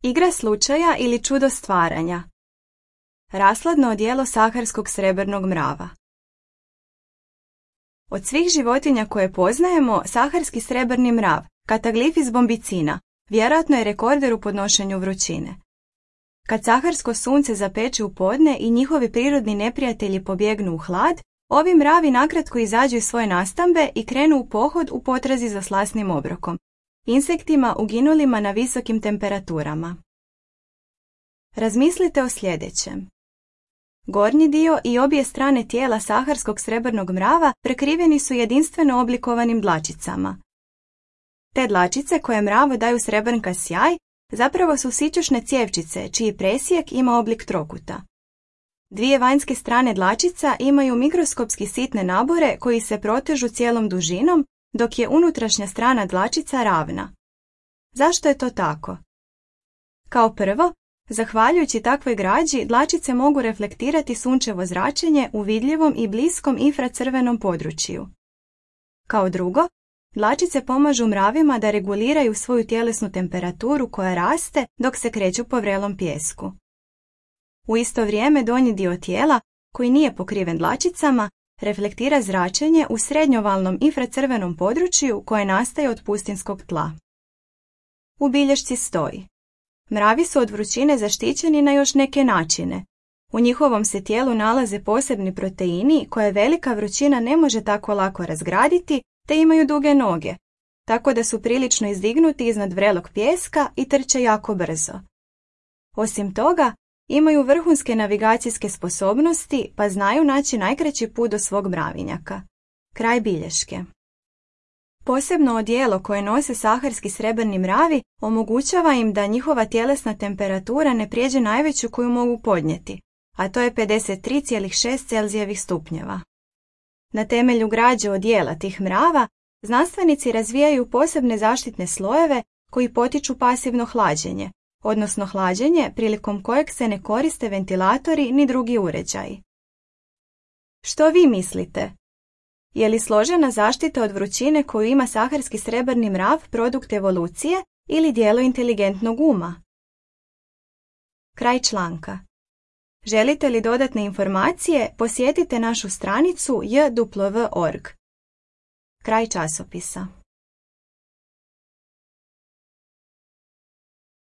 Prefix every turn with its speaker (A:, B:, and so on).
A: Igra slučaja ili čudo stvaranja. Rashladno odijelo saharskog srebrnog mrava. Od svih životinja koje poznajemo, saharski srebrni mrav, Cataglyphis bombicina, vjerojatno je rekorder u podnošenju vrućine. Kad saharsko sunce zapeče u podne i njihovi prirodni neprijatelji pobjegnu u hlad, ovi mravi nakratko izađu iz svoje nastambe i krenu u pohod u potrazi za slasnim obrokom, insektima uginulima na visokim temperaturama. Razmislite o sljedećem. Gornji dio i obje strane tijela saharskog srebrnog mrava prekriveni su jedinstveno oblikovanim dlačicama. Te dlačice koje mravu daju srebrnka sjaj zapravo su sićušne cjevčice čiji presjek ima oblik trokuta. Dvije vanjske strane dlačica imaju mikroskopski sitne nabore koji se protežu cijelom dužinom, dok je unutrašnja strana dlačica ravna. Zašto je to tako? Kao prvo, zahvaljujući takvoj građi, dlačice mogu reflektirati sunčevo zračenje u vidljivom i bliskom infracrvenom području. Kao drugo, dlačice pomažu mravima da reguliraju svoju tjelesnu temperaturu koja raste dok se kreću po vrelom pijesku. U isto vrijeme donji dio tijela, koji nije pokriven dlačicama, reflektira zračenje u srednjovalnom infracrvenom području koje nastaje od pustinskog tla. U bilješci stoji: mravi su od vrućine zaštićeni na još neke načine. U njihovom se tijelu nalaze posebni proteini koje velika vrućina ne može tako lako razgraditi, te imaju duge noge, tako da su prilično izdignuti iznad vrelog pijeska i trče jako brzo. Osim toga, imaju vrhunske navigacijske sposobnosti pa znaju naći najkraći put do svog mravinjaka. Kraj bilješke. Posebno odijelo koje nose saharski srebrni mravi omogućava im da njihova tjelesna temperatura ne prijeđe najveću koju mogu podnijeti, a to je 53,6 Celzijevih stupnjeva. Na temelju građe odijela tih mrava, znanstvenici razvijaju posebne zaštitne slojeve koji potiču pasivno hlađenje, odnosno hlađenje prilikom kojeg se ne koriste ventilatori ni drugi uređaji. Što vi mislite? Je li složena zaštita od vrućine koju ima saharski srebrni mrav produkt evolucije ili djelo inteligentnog uma? Kraj članka. Želite li dodatne informacije, posjetite našu stranicu jw.org. Kraj časopisa.